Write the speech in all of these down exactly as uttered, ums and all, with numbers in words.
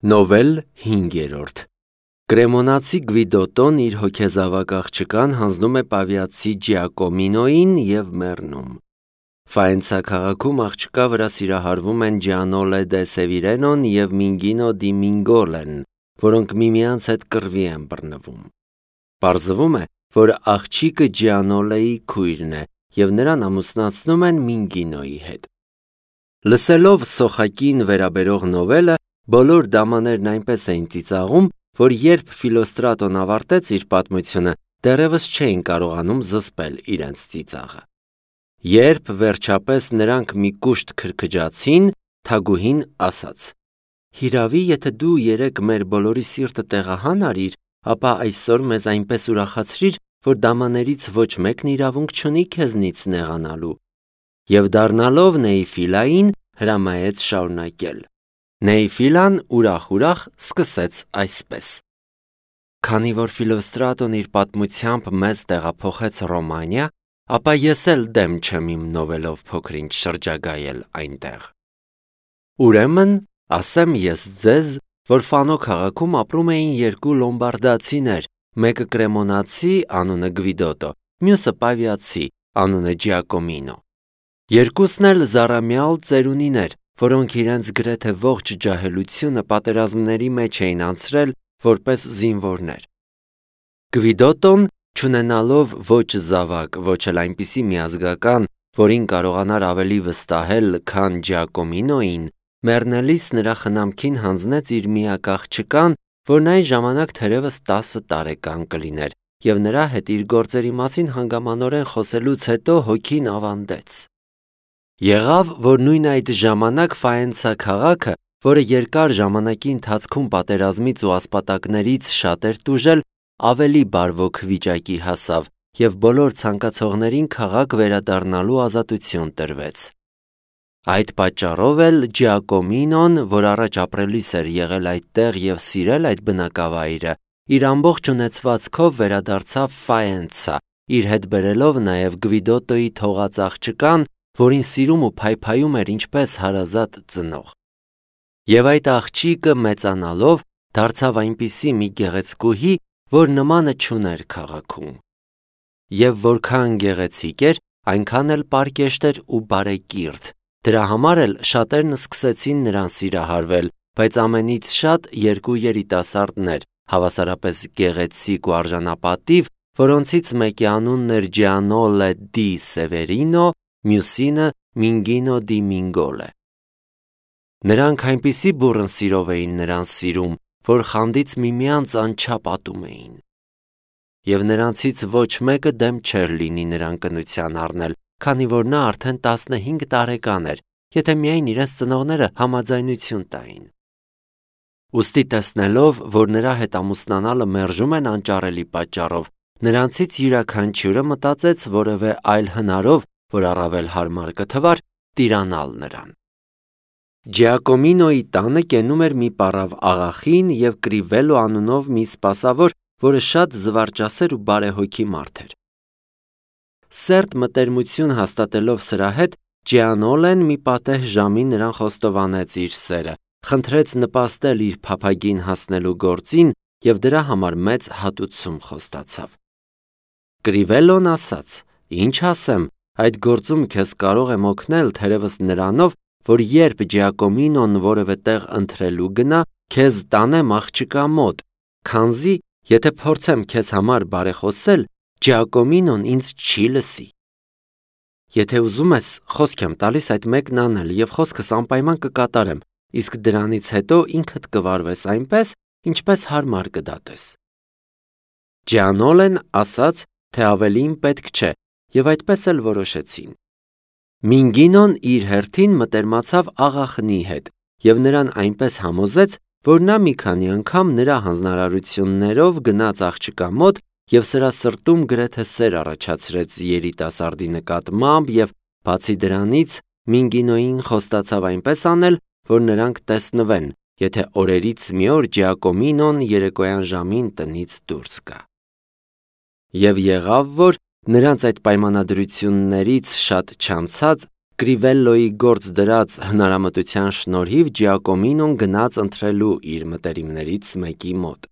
Նովել հինգերորդ Կրեմոնացի Գվիդոտոն իր հոգեզավակ աղջկան հանձնում է պավիացի Ջիակոմինոին և մեռնում։ Ֆայենցա քաղաքում աղջկա վրա սիրահարվում են Ջիանոլե դե Սևիրենոն և Մինգինո դի Մինգոլեն, որոնք միմյանց հետ կռվի են բռնվում։ Պարզվում է, որ աղջիկը Ջիանոլեի քույրն է և նրան ամուսնացնում են Մինգինոյի հետ։ Լսելով սոխակին վերաբերող նովելը, բոլոր դամաներն այնպես էին ծիծաղում, որ երբ Ֆիլոստրատոն ավարտեց իր պատմությունը, դեռևս չէին կարողանում զսպել իրենց ծիծաղը։ Երբ վերջապես նրանք մի կուշտ քրքջացին, թագուհին ասաց. «Հիրավի, եթե դու երեկ մեր բոլորի սիրտը տեղահան արիր, ապա այսօր մեզ այնպես ուրախացրիր, որ դամաներից ոչ մեկն իրավունք չունի քեզնից նեղանալու»։ Եվ դառնալով Նեիֆիլային, հրամայեց շարունակել։ Նեիֆիլան ուրախ-ուրախ սկսեց այսպես. «Քանի որ Ֆիլոստրատոն իր պատմությամբ մեզ տեղափոխեց Ռոմանիա, ապա ես էլ դեմ չեմ իմ նովելով փոքր-ինչ շրջագայել այնտեղ։ Ուրեմն, ասեմ ես ձեզ, որ Ֆանո քաղաքում ապրում էին երկու լոմբարդացիներ, մեկը կրեմոնացի, անունը Գվիդոտո, մյուսը պավիացի, անունը Ջիակոմինո։ Երկուսն էլ զառամյալ ծերունիներ, որոնք իրենց գրեթե ողջ ջահելությունը պատերազմների մեջ էին անցրել որպես զինվորներ։ Գվիդոտոն, չունենալով ոչ զավակ, ոչ էլ այնպիսի միազգական, որին կարողանար ավելի վստահել, քան Ջիակոմինոին, մեռնելիս նրա խնամքին հանձնեց իր միակ աղջկան, որն այն ժամանակ թերևս տասը տարեկան կլիներ, և նրա հետ իր գործերի մասին հանգամանորեն խոսելուց հետո հոգին ավանդեց։ Եղավ, որ նույն այդ ժամանակ Ֆայենցա քաղաքը, որը երկար ժամանակի ընթացքում պատերազմից ու ասպատակներից շատ էր տուժել, ավելի բարվոք վիճակի հասավ, և բոլոր ցանկացողներին քաղաք վերադառնալու ազատություն տրվեց։ Այդ պատճառով էլ Ջիակոմինոն, որ առաջ ապրելիս էր եղել այդտեղ և սիրել այդ բնակավայրը, իր ամբողջ ունեցվածքով վերադարձավ Ֆայենցա, իր հետ բերելով նաև Գվիդոտոյի թողած աղջկան, որին սիրում ու փայփայում էր ինչպես հարազատ ծնող։ Եվ այդ աղջիկը մեծանալով դարձավ այնպիսի մի գեղեցկուհի, որ նմանը չուներ քաղաքում։ Եվ որքան գեղեցիկ էր, այնքան էլ պարկեշտ էր ու բարեկիրթ, դրա համար էլ շատերն սկսեցին նրան սիրահարվել, բայց ամենից շատ երկու երիտասարդներ, հավասարապես գեղեցիկ ու արժանապատիվ, որոնցից մեկի անունն էր Ջիանոլե դի Սևերինո, մյուսինը Մինգինո դի Մինգոլե։ Նրանք այնպիսի բուռն սիրով էին նրան սիրում, որ խանդից միմյանց անչափ ատում էին։ Եվ նրանցից ոչ մեկը դեմ չէր լինի նրան կնության առնել, քանի որ նա արդեն տասնհինգ տարեկան էր, եթե միայն իրենց ծնողները համաձայնություն տային։ Ուստի տեսնելով, որ նրա հետ ամուսնանալը մերժում են անճարելի պատճառով, նրանցից յուրաքանչյուրը մտածեց որևէ այլ հնարով, որ առավել հարմար կթվար, տիրանալ նրան։ Ջիակոմինոյի տանը կենում էր մի պառավ աղախին և Կրիվելո անունով մի սպասավոր, որը շատ զվարճասեր ու բարեհոգի մարդ էր։ Սերտ մտերմություն հաստատելով սրա հետ, Ջիանոլեն մի պատեհ ժամի նրան խոստովանեց իր սերը, խնդրեց նպաստել իր փափագին հասնելու գործին և դրա համար մեծ հատուցում խոստացավ։ Կրիվելոն ասաց. «Ինչ ասեմ, այդ գործում քեզ կարող եմ օգնել թերևս նրանով, որ երբ Ջիակոմինոն որևէ տեղ ընթրելու գնա, քեզ տանեմ աղջկա մոտ, քանզի եթե փորձեմ քեզ համար բարեխոսել, Ջիակոմինոն ինձ չի լսի։ Եթե ուզում ես, խոսք եմ տալիս այդ մեկն անել և խոսքս անպայման կկատարեմ, իսկ դրանից հետո ինքդ կվարվես այնպես, ինչպես հարմար կդատես»։ Ջիանոլեն ասաց, թե ավելին պետք չէ, և այդպես էլ որոշեցին։ Մինգինոն իր հերթին մտերմացավ աղախնի հետ և նրան այնպես համոզեց, որ նա մի քանի անգամ նրա հանձնարարություններով գնաց աղջկա մոտ և սրա սրտում գրեթե սեր առաջացրեց երիտասարդի նկատմամբ և, բացի դրանից, Մինգինոյին խոստացավ այնպես անել, որ նրանք տեսնվեն, եթե օրերից մի օր Ջիակոմինոն երեկոյան ժամին տնից դուրս գա։ Եվ եղավ, որ նրանց այդ պայմանագրություններից շատ չանցած Կրիվելլոյի գործ դրած հնարամտության շնորհիվ Ջիակոմինոն գնաց ընտրելու իր մտերիմներից մեկի մոտ։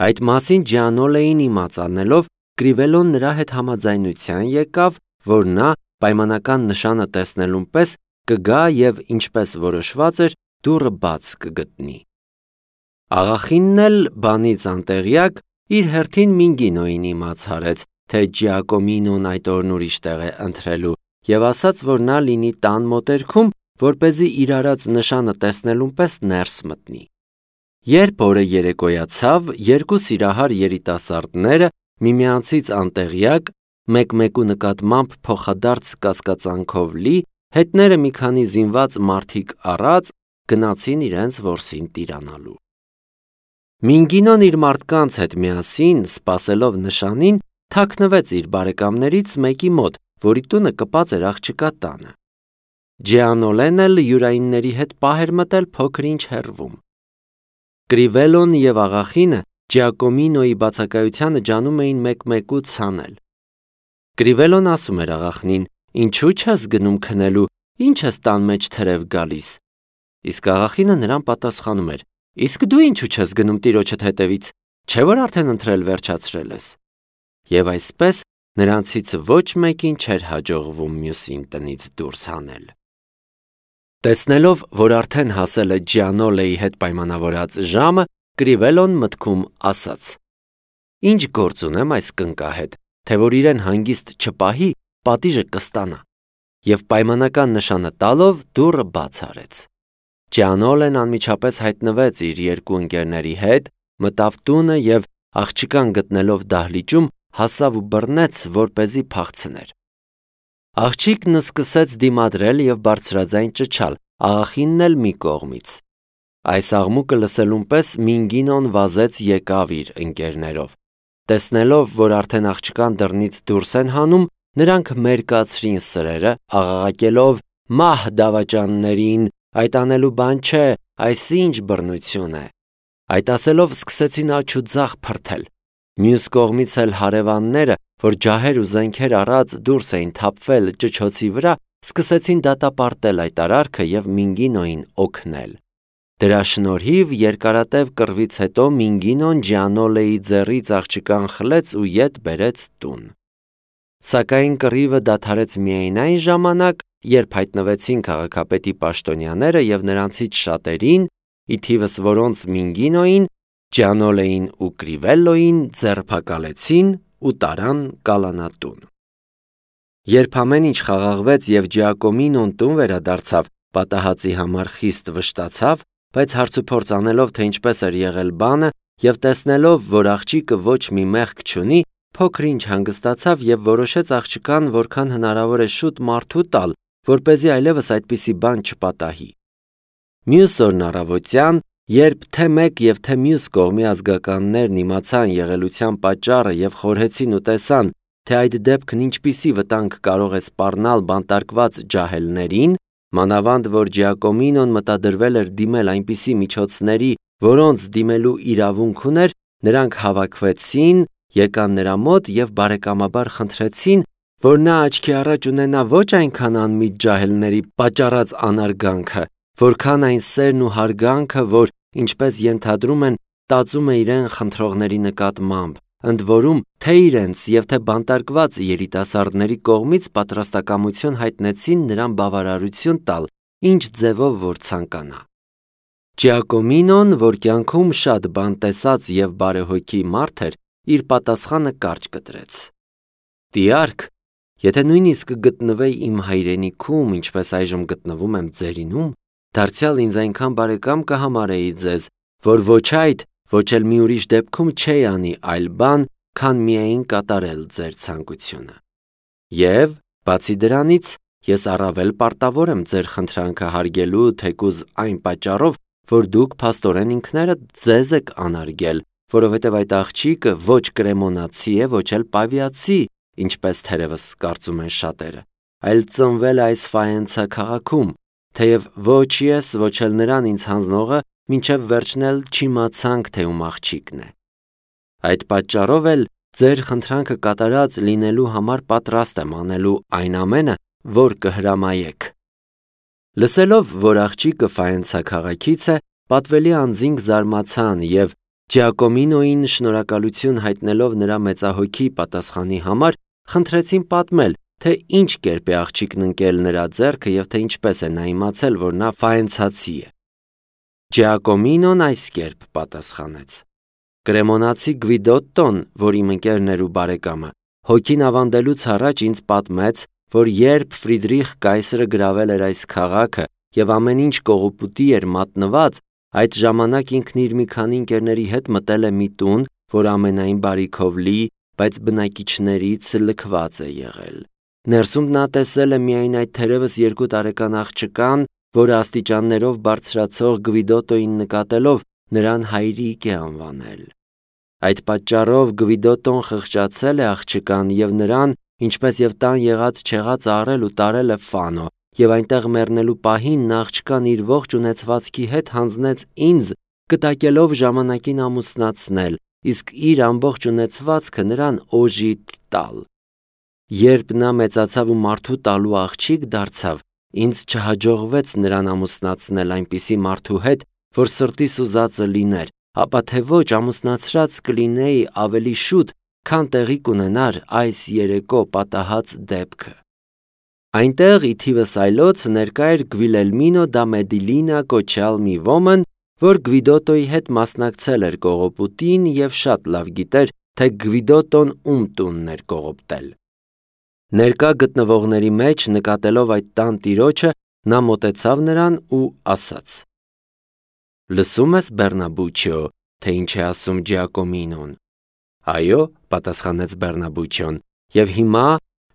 Այդ մասին Ջիանոլեին իմաց անելով, Կրիվելլոն նրա հետ համաձայնության եկավ, որ նա պայմանական նշանը տեսնելուն պես կգա և ինչպես որոշված էր, դուռը բաց կգտնի։ Աղախինն էլ բանից անտեղյակ իր հերթին Մինգինոյին իմաց հարեց, թե Ջիակոմինոն այդ օրն ուրիշ տեղ է ընտրելու և ասաց, որ նա լինի տան մոտերքում, որպեսզի իր արած նշանը տեսնելուն պես ներս մտնի։ Երբ օրը երեկոյացավ, երկու սիրահար երիտասարդները միմյանցից անտեղյակ, մեկ-մեկու նկատմամբ փոխադարձ կասկածանքով լի, հետները մի քանի զինված մարդիկ առած, գնացին իրենց որսին տիրանալու։ Մինգինոն իր մարդկանց հետ միասին, սպասելով նշանին, թաքնվեց իր բարեկամներից մեկի մոտ, որի տունը կպած էր աղջկա տանը։ Ջիանոլեն էլ յուրայինների հետ պահ էր մտել փոքր-ինչ հեռվում։ Կրիվելլոն և աղախինը Ջիակոմինոյի բացակայությանը ջանում էին մեկ-մեկու ցանել։ Կրիվելլոն ասում էր աղախնին. «Ինչու չես գնում քնելու, ինչ ես տան մեջ թրև գալիս»։ Իսկ աղախինը նրան պատասխանում էր. «Իսկ դու ինչու չես գնում տիրոջդ հետևից, չէ՞ որ արդեն ընտրել վերջացրել ես»։ Եվ այսպես նրանցից ոչ մեկին չէր հաջողվում մյուսին տնից դուրս հանել։ Տեսնելով, որ արդեն հասել է Ջիանոլեի հետ պայմանավորած ժամը, Կրիվելլոն մտքում ասաց. «Ինչ գործ ունեմ այս կնկա հետ, թե որ իրեն հանգիստ չպահի, պատիժը կստանա»։ Եվ պայմանական նշանը տալով դուռը բաց արեց։ Ջիանոլեն անմիջապես հայտնվեց իր երկու ընկերների հետ, մտավ տունը և աղջկան գտնելով դահլիճում, հասավ ու բռնեց, որպեսզի փախցներ։ Աղջիկն սկսեց դիմադրել և բարձրաձայն ճչալ, աղախինն էլ մի կողմից։ Այս աղմուկը լսելուն պես Մինգինոն վազեց եկավ իր ընկերներով։ Տեսնելով, որ արդեն աղջկան դռնից դուրս են հանում, նրանք մերկացրին սրերը, աղաղակելով. «Մահ դավաճաններին, այդ անելու բան չէ, այս ինչ բռնություն է»։ Այդ ասելով սկսեցին աջ ու ձախ փրթել։ Մյուս կողմից էլ հարևանները, որ ջահեր ու զենքեր առած դուրս էին թափվել ճչոցի վրա, սկսեցին դատապարտել այդ արարքը և Մինգինոյին օգնել։ Դրա շնորհիվ երկարատև կռվից հետո Մինգինոն Ջիանոլեի ձեռից աղջկան խլեց ու ետ բերեց տուն։ Սակայն կռիվը դադարեց միայն այն ժամանակ, երբ հայտնվեցին քաղաքապետի պաշտոնյաները և նրանցից շատերին, ի թիվս որոնց Մինգինոյին, Ջիանոլեին ու Կրիվելլոյին ձերբակալեցին ու տարան կալանատուն։ Երբ ամեն ինչ խաղաղվեց և Ջիակոմինոն տուն վերադարձավ, պատահածի համար խիստ վշտացավ, բայց հարցուփորձ անելով, թե ինչպես էր եղել բանը, և տեսնելով, որ աղջիկը ոչ մի մեղք չունի, փոքր-ինչ հանգստացավ և որոշեց աղջկան որքան հնարավոր է շուտ մարդու տալ, որպեսզի այլևս այդպիսի բան չպատահի։ Մյուս օրն առավոտյան, երբ թե մեկ և թե մյուս կողմի ազգականներն իմացան եղելության պատճառը և խորհեցին ու տեսան, թե այդ դեպքն ինչպիսի վտանգ կարող է սպառնալ բանտարկված ջահելներին, մանավանդ որ Ջիակոմինոն մտադրվել էր դիմել այնպիսի միջոցների, որոնց դիմելու իրավունք ուներ, նրանք հավաքվեցին, եկան նրա մոտ և բարեկամաբար խնդրեցին, որ նա աչքի առաջ ունենա ոչ այնքան անմիտ ջահելների պատճառած անարգանքը, որքան այն սերն ու հարգանքը, որ, ինչպես ենթադրում են, տածում է իրեն խնդրողների նկատմամբ, ընդ որում թե իրենց և թե բանտարկված երիտասարդների կողմից պատրաստակամություն հայտնեցին նրան բավարարություն տալ, ինչ ձևով որ ցանկանա։ Ջիակոմինոն, որ կյանքում շատ բան տեսած և բարեհոգի մարդ էր, իր պատասխանը կարճ կտրեց. «Տիարք, եթե նույնիսկ գտնվեի իմ հայրենիքում, ինչպես այժմ գտնվում եմ ձերինում, դարձյալ ինձ այնքան բարեկամ կհամարեի ձեզ, որ ոչ այդ, ոչ էլ մի ուրիշ դեպքում չէի անի այլ բան, քան միայն կատարել ձեր ցանկությունը։ Եվ, բացի դրանից, ես առավել պարտավոր եմ ձեր խնդրանքը հարգելու, թեկուզ այն պատճառով, որ դուք փաստորեն ինքներդ ձեզ եք անարգել, որովհետև այդ աղջիկը ոչ կրեմոնացի է, ոչ էլ պավիացի, ինչպես թերևս կարծում են շատերը, այլ ծնվել է այս Ֆայենցա քաղաքում, թեև ոչ ես, ոչ էլ նրան ինձ հանձնողը մինչև վերջն էլ չիմացանք, թե ում աղջիկն է։ Այդ պատճառով էլ ձեր խնդրանքը կատարած լինելու համար պատրաստ եմ անելու այն ամենը, որ կհրամայեք։ Լսելով, որ աղջիկը Ֆայենցա քաղաքից է, պատվելի անձինք զարմացան և Ջիակոմինոին շնորհակալություն հայտնելով նրա մեծահոգի պատասխանի համար, խնդրեցին պատմել, թե ինչ կերպ է աղջիկն ընկել նրա ձեռքը և թե ինչպես է նա իմացել, որ նա ֆայենցացի է։ Ջիակոմինոն այս կերպ պատասխանեց. Կրեմոնացի Գվիդոտտոն, որ իմ ընկերն էր ու բարեկամը, հոգին ավանդելուց առաջ ինձ պատմեց, որ երբ Ֆրիդրիխ կայսրը գրավել էր այս քաղաքը և ամեն ինչ կողոպուտի էր մատնված, այդ ժամանակ ինքն իր մի քանի ընկերների հետ մտել է մի տուն, որ ամենայն բարիքով լի, բայց բնակիչներից լքված է եղել։ Ներսում նա տեսել է միայն այդ թերևս երկու տարեկան աղջկան, որը աստիճաններով բարձրացող Գվիդոտոյին նկատելով նրան հայրիկ է անվանել։ Այդ պատճառով Գվիդոտոն խղճացել է աղջկան և նրան, ինչպես և տան եղած-չեղած առել ու տարել է Ֆանո, և այնտեղ մեռնելու պահին նա աղջկան իր ողջ ունեցվածքի հետ հանձնեց ինձ, կտակելով ժամանակին ամուսնացնել, իսկ իր ամբողջ ունեցվածքը նրան օժիտ տալ։ Երբ նա մեծացավ ու մարդու տալու աղջիկ դարձավ, ինձ չհաջողվեց նրան ամուսնացնել այնպիսի մարդու հետ, որ սրտիս ուզածը լիներ, ապա թե ոչ ամուսնացրած կլինեի ավելի շուտ, քան տեղի կունենար այս երեկո պատահած դեպքը։ Այնտեղ ի թիվս այլոց ներկա էր Գվիլելմինո դա Մեդիլինա կոչյալ մի ոմն, որ Գվիդոտոյի հետ մասնակցել էր կողոպուտին և շատ լավ գիտեր, թե Գվիդոտոն ում տունն էր կողոպտել։ Ներկա գտնվողների մեջ նկատելով այդ տան տիրոջը, նա մոտեցավ նրան ու ասաց. Լսում ես, Բեռնաբուչիո, թե ինչ է ասում Ջիակոմինոն։ Այո, պատասխանեց Բեռնաբուչիոն, և հիմա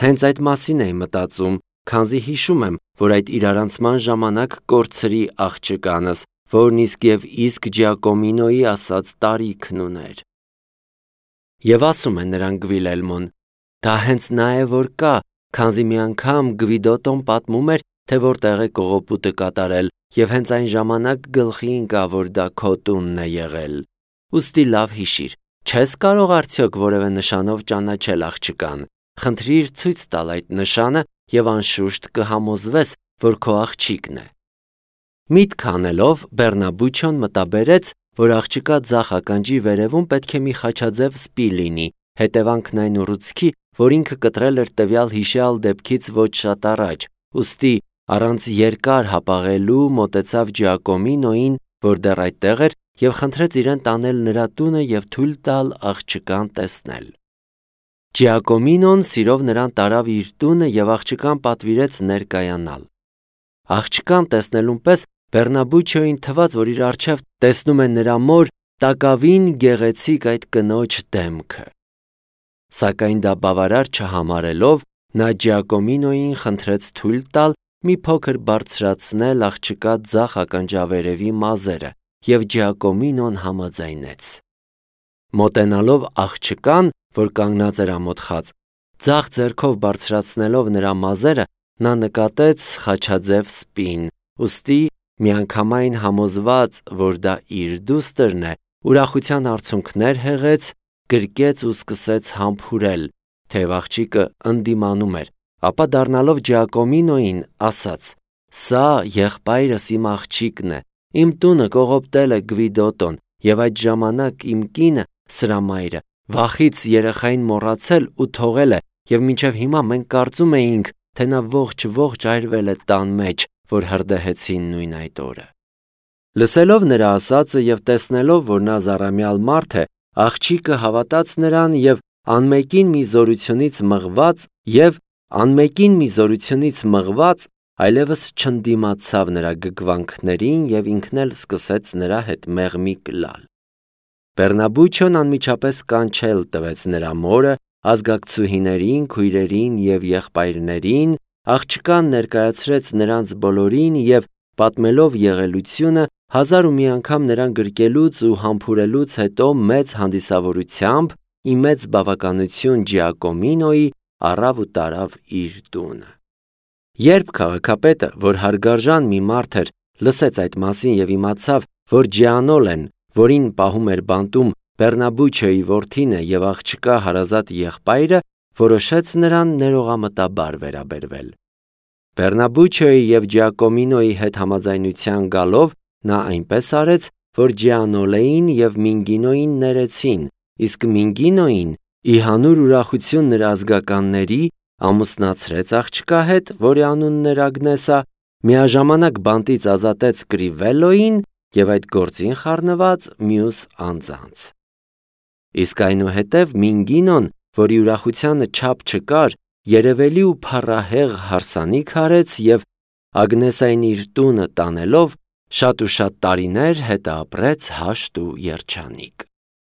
հենց այդ մասին էի մտածում, քանզի հիշում եմ, որ այդ իրարանցման ժամանակ կորցրի աղջկանս, որն իսկ և իսկ Ջիակոմինոյի ասած տարիքն ուներ։ Եվ ասում է նրան Գվիլելմոն. դա հենց նա է, որ կա, քանզի մի անգամ Գվիդոտոն պատմում էր, թե որտեղ է կողոպուտը կատարել, և հենց այն ժամանակ գլխի ընկավ, որ դա քո տունն է եղել։ Ուստի լավ հիշիր, չես կարող արդյոք որևէ նշանով ճանաչել աղջկան, խնդրիր ցույց տալ այդ նշանը և անշուշտ կհամոզվես, որ քո աղջիկն է։ Միտք անելով, Բեռնաբուչիոն մտաբերեց, որ աղջկա ձախ ականջի վերևում պետք է մի խաչաձև սպի լինի, հետևանքն այն ուռուցքի, որ ինքը կտրել էր տվյալ հիշյալ դեպքից ոչ շատ առաջ, ուստի առանց երկար հապաղելու մոտեցավ Ջիակոմինոյին, որ դեռ այդտեղ էր, և խնդրեց իրեն տանել նրա տունը և թույլ տալ աղջկան տեսնել։ Ջիակոմինոն սիրով նրան տարավ իր տունը և աղջկան պատվիրեց ներկայանալ։ Աղջկան տեսնելուն պես Բեռնաբուչիոյին թվաց, որ իր առջև տեսնում է նրա մոր տակավին գեղեցիկ այդ կնոջ դեմքը։ Սակայն դա բավարար չհամարելով, նա Ջիակոմինոյին խնդրեց թույլ տալ մի փոքր բարձրացնել աղջկա ձախ ականջավերևի մազերը, և Ջիակոմինոն համաձայնեց։ Մոտենալով աղջկան, որ կանգնած էր ամոթխած, ձախ ձեռքով բարձրացնելով նրա մազերը, նա նկատեց խաչաձև սպին, ուստի միանգամայն համոզված, որ դա իր դուստրն է, ուրախության արցունքներ հեղեց, գրկեց ու սկսեց համբուրել, թեև աղջիկը ընդդիմանում էր, ապա դառնալով Ջիակոմինոյին ասաց. Սա եղբայրս իմ աղջիկն է, իմ տունը կողոպտել է Գվիդոտոն, և այդ ժամանակ իմ կինը, սրամայրը, վախից երեխային մոռացել ու թողել է, և մինչև հիմա մենք կարծում էինք, թե նա ողջ-ողջ այրվել է տան մեջ, որ հրդեհեցին նույն այդ օրը։ Լսելով նրա ասածը և տեսնելով, որ նա զառամյալ մարդ է, աղջիկը հավատաց նրան և անմեկին մի զորությունից մղված և անմեկին մի զորությունից մղված այլևս չընդդիմացավ նրա գգվանքներին և ինքն էլ սկսեց նրա հետ մեղմիկ լալ։ Բեռնաբուչիոն անմիջապես կանչել տվեց նրա մորը, ազգակցուհիներին, քույրերին և եղբայրներին, աղջկան ներկայացրեց նրանց բոլորին և պատմելով եղելությունը, հազար ու մի անգամ նրան գրկելուց ու համբուրելուց հետո մեծ հանդիսավորությամբ, ի մեծ բավականություն Ջիակոմինոյի, առավ ու տարավ իր տունը։ Երբ քաղաքապետը, որ հարգարժան մի մարդ էր, լսեց այդ մասին և իմացավ, որ Ջիանոլեն, որին պահում էր բանտում, Բեռնաբուչիոյի որդին է և աղջկա հարազատ եղբայրը, որոշեց նրան ներողամտաբար վերաբերվել։ Բեռնաբուչոյի և Ջիակոմինոյի հետ համաձայնության գալով նա այնպես արեց, որ Ջիանոլեին և Մինգինոյին ներեցին, իսկ Մինգինոյին, ի հանուր ուրախություն նրա ազգականների, ամուսնացրեց աղջկա հետ, որի անունն էր Ագնեսա, միաժամանակ բանտից ազատեց Կրիվելլոյին և այդ գործին խառնված մյուս անձանց։ Իսկ այնուհետև Մինգինոն, որի ուրախությանը չափ չկար, երևելի ու փառահեղ հարսանիք արեց և Ագնեսային իր տունը տանելով շատ ու շատ տարիներ հետը ապրեց հաշտ ու երջանիկ։